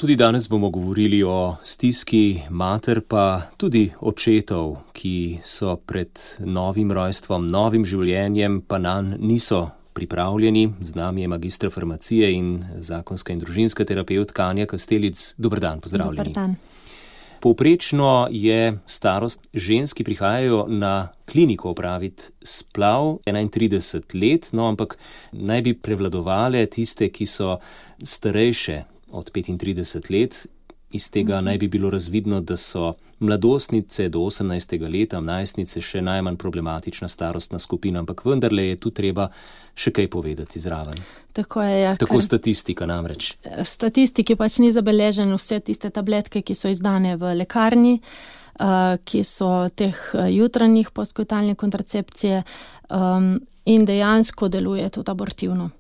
Tudi danes bomo govorili o stiski mater pa tudi očetov, ki so pred novim rojstvom, novim življenjem, pa nanj niso pripravljeni. Z nami je magistra farmacije in zakonska in družinska terapevtka Anja Kastelic. Dober dan, pozdravljeni. Dober dan. Povprečno je starost žensk, ki prihajajo na kliniko opraviti splav 31 let, no ampak naj bi prevladovale tiste, ki so starejše od 35 let. Iz tega naj bi bilo razvidno, da so mladostnice do 18. leta, najstnice še najmanj problematična starostna skupina, ampak vendarle je tu treba še kaj povedati zraven. Tako je, ja. Tako statistika namreč. Statistiki pač ni zabeležen vse tiste tabletke, ki so izdane v lekarni, ki so teh jutranjih postkoitalne kontracepcije in dejansko deluje tudi abortivno.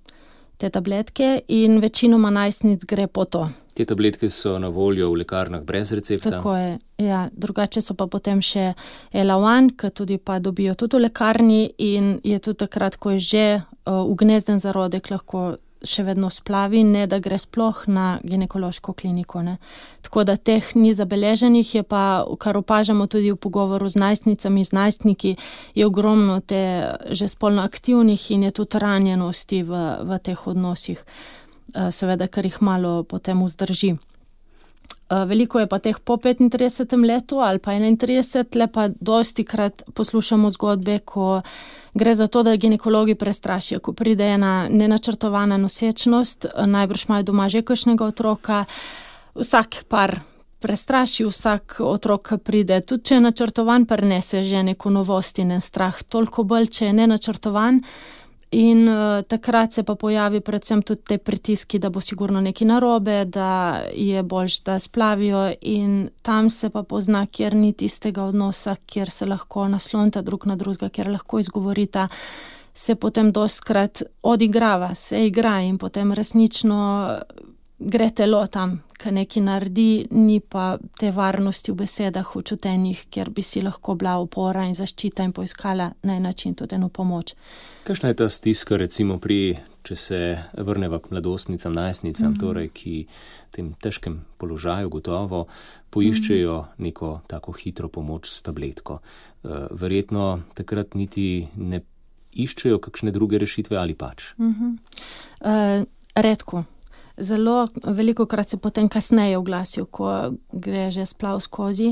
Te tabletke in večinoma najstnic gre po to. Te tabletke so na voljo v lekarnah brez recepta? Tako je, ja. Drugače so pa potem še Elawan, ki tudi pa dobijo tudi v lekarni in je tudi takrat, ko je že ugnezden zarodek, lahko še vedno splavi, ne da gre sploh na ginekološko kliniko. Ne. Tako da teh ni zabeleženih, je pa, kar opažamo tudi v pogovoru z najstnicami, z najstniki, je ogromno te že spolno aktivnih in je tudi ranjenosti v teh odnosih. Seveda, kar jih malo potem vzdrži. Veliko je pa teh po 35. letu ali pa 31, le pa dostikrat poslušamo zgodbe, ko gre za to, da ginekologi prestrašijo, ko pride ena nenačrtovana nosečnost, najbrž imajo doma že kakšnega otroka, vsak par prestraši, vsak otrok pride, tudi če je načrtovan, prinese že neko novost in en strah, toliko bolj, če je nenačrtovan. In takrat se pa pojavi predvsem tudi te pritiski, da bo sigurno nekaj narobe, da je boljš, da splavijo in tam se pa pozna, kjer ni tistega odnosa, kjer se lahko naslonita drug na drugega, kjer lahko izgovorita, se potem dostikrat odigrava, se igra in potem resnično gre telo tam, kaj nekaj naredi, ni pa te varnosti v besedah, v čutenjih, kjer bi si lahko bila opora in zaščita in poiskala na en način tudi eno pomoč. Kakšna je ta stiska recimo če se vrneva k mladostnicam, najstnicam, torej, ki v tem težkem položaju gotovo poiščejo neko tako hitro pomoč s tabletko. Verjetno takrat niti ne iščejo kakšne druge rešitve ali pač? Redko. Zelo veliko krat se potem kasneje oglasijo, ko gre že splav skozi.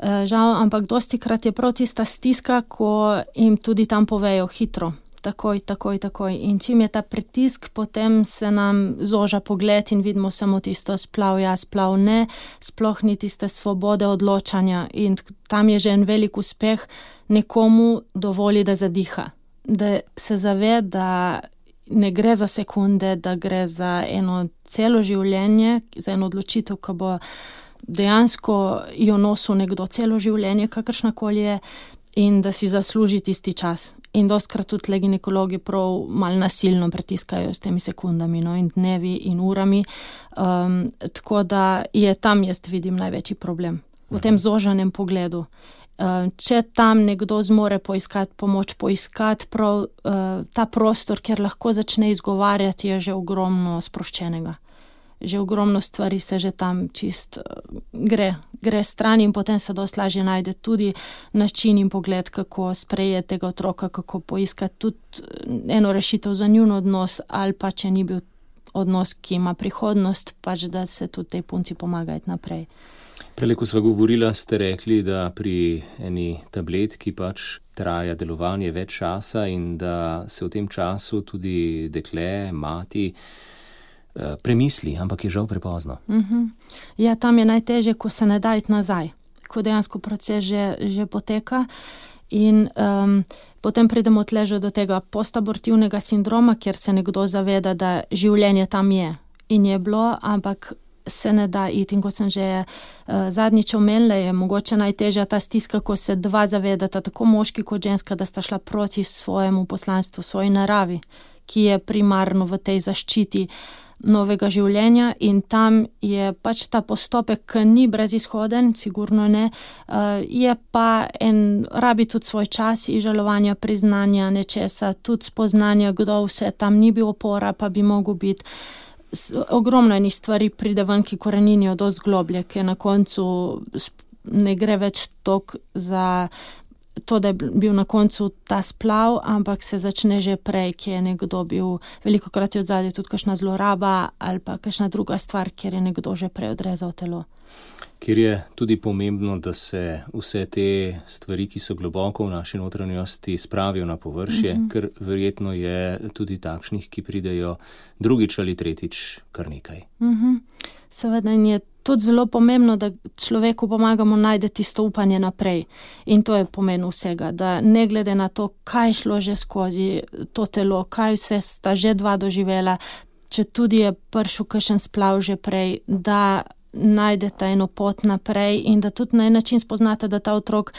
Žal, ampak dostikrat je prav tista stiska, ko jim tudi tam povejo hitro. Takoj. In čim je ta pritisk, potem se nam zoža pogled in vidimo samo tisto splav ja, splav ne, sploh ni tiste svobode odločanja in tam je že en velik uspeh nekomu dovoli, da zadiha. Da se zave, da ne gre za sekunde, da gre za eno celo življenje, za eno odločitev, ki bo dejansko jo nosil nekdo celo življenje, kakršnakoli je, in da si zasluži tisti čas. In dostikrat tudi ginekologi prav malo nasilno pritiskajo s temi sekundami, no, in dnevi in urami. Tako da je tam, jaz vidim, največji problem. V tem zožanem pogledu. Če tam nekdo zmore poiskati pomoč, poiskati prav ta prostor, kjer lahko začne izgovarjati, je že ogromno sproščenega. Že ogromno stvari se že tam čist gre stran in potem se dosti lažje najde tudi način in pogled, kako sprejeti tega otroka, kako poiskati tudi eno rešitev za njun odnos ali pa če ni bil odnos, ki ima prihodnost, pač da se tudi tej punci pomagati naprej. Prele, ko sva govorila, ste rekli, da pri eni tabletki pač traja delovanje več časa in da se v tem času tudi dekle, mati premisli, ampak je žal prepozno. Ja, tam je najtežje, ko se ne da iti nazaj, ko dejansko proces že poteka in potem pridemo tleže do tega postabortivnega sindroma, kjer se nekdo zaveda, da življenje tam je in je bilo, ampak se ne da iti. In kot sem že zadnjič omenila, je mogoče najtežja ta stiska, ko se dva zavedata, tako moški kot ženska, da sta šla proti svojemu poslanstvu, svoji naravi, ki je primarno v tej zaščiti novega življenja in tam je pač ta postopek, ki ni brezizhoden, sigurno ne, je pa rabi tudi svoj čas izžalovanja, priznanja nečesa, tudi spoznanja, kdo vse tam ni bil opora, pa bi mogel biti. ogromno enih stvari pride ven, ki koreninijo dosti globlje, ki na koncu ne gre več toliko za to, da je bil na koncu ta splav, ampak se začne že prej, ki je nekdo bil, velikokrat je odzadje tudi kakšna zloraba ali pa kakšna druga stvar, kjer je nekdo že prej odrezal telo. Kjer je tudi pomembno, da se vse te stvari, ki so globoko v naši notranjosti, spravijo na površje, ker verjetno je tudi takšnih, ki pridejo drugič ali tretjič kar nekaj. Seveda je tudi zelo pomembno, da človeku pomagamo najti tisto upanje naprej. In to je pomen vsega, da ne glede na to, kaj šlo že skozi to telo, kaj vse sta že dva doživela, če tudi je prišel kakšen splav že prej, da najdete eno pot naprej in da tudi na en način spoznate, da ta otrok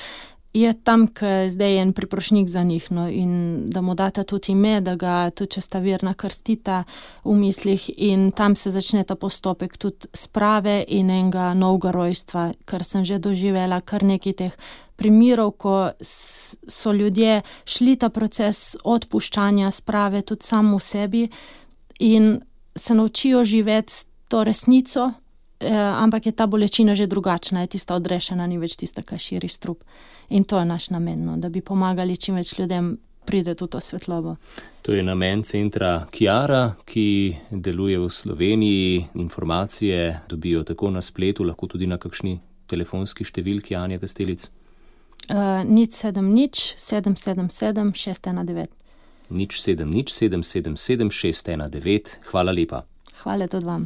je tam, ker zdaj je en priprošnjik za njih, no, in da mu date tudi ime, da ga tudi česta verna krstita v mislih in tam se začne ta postopek tudi sprave in enega novega rojstva, kar sem že doživela, kar nekaj teh primerov, ko so ljudje šli ta proces odpuščanja, sprave tudi samo v sebi in se naučijo živeti s to resnico, ampak je ta bolečina že drugačna, je tista odrešena, ni več tista, ki širi strup. In to je naš namen, no, da bi pomagali čim več ljudem priti v to svetlobo. To je namen centra Kiara, ki deluje v Sloveniji. Informacije dobijo tako na spletu, lahko tudi na kakšni telefonski številki Anja Kastelic. 070 777 619. 070 777 619. Hvala lepa. Hvala tudi vam.